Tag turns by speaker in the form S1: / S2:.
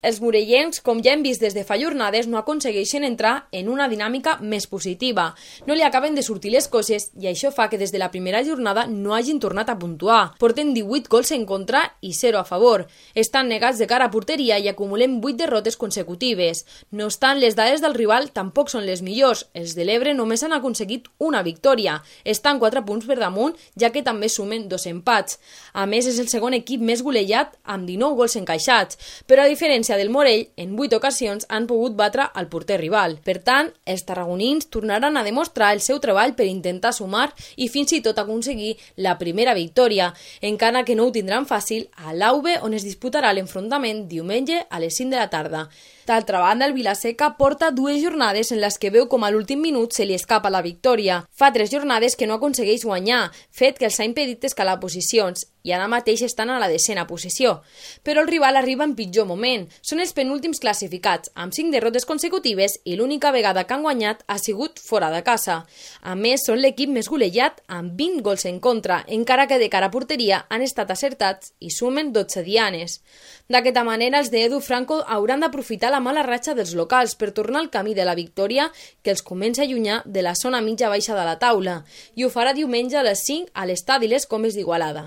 S1: Els morellencs, com ja hem vist des de fa jornades, no aconsegueixen entrar en una dinàmica més positiva. No li acaben de sortir les coses i això fa que des de la primera jornada no hagin tornat a puntuar. Porten 18 gols en contra i 0 a favor. Estan negats de cara a porteria i acumulen 8 derrotes consecutives. No obstant, les dades del rival tampoc són les millors. Els de l'Ebre només han aconseguit una victòria. Estan 4 punts per damunt, ja que també sumen 2 empats. A més, és el segon equip més golejat amb 19 gols encaixats, però a diferència del Morell, en 8 ocasions han pogut batre al porter rival. Per tant, els tarragonins tornaran a demostrar el seu treball per intentar sumar i fins i tot aconseguir la primera victòria, encara que no ho tindran fàcil a l'Auve, on es disputarà l'enfrontament diumenge a les 5 de la tarda. D'altra banda, el Vilaseca porta 2 jornades en les que veu com a l'últim minut se li escapa la victòria. Fa 3 jornades que no aconsegueix guanyar, fet que els ha impedit escalar posicions, i ara mateix estan a la 10ª posició. Però el rival arriba en pitjor moment. Són els penúltims classificats, amb 5 derrotes consecutives i l'única vegada que han guanyat ha sigut fora de casa. A més, són l'equip més golejat amb 20 gols en contra, encara que de cara a porteria han estat acertats i sumen 12 dianes. D'aquesta manera, els d'Edu Franco hauran d'aprofitar la mala ratxa dels locals per tornar al camí de la victòria que els comença a allunyar de la zona mitja baixa de la taula, i ho farà diumenge a les 5 a l'estadi Les Comes d'Igualada.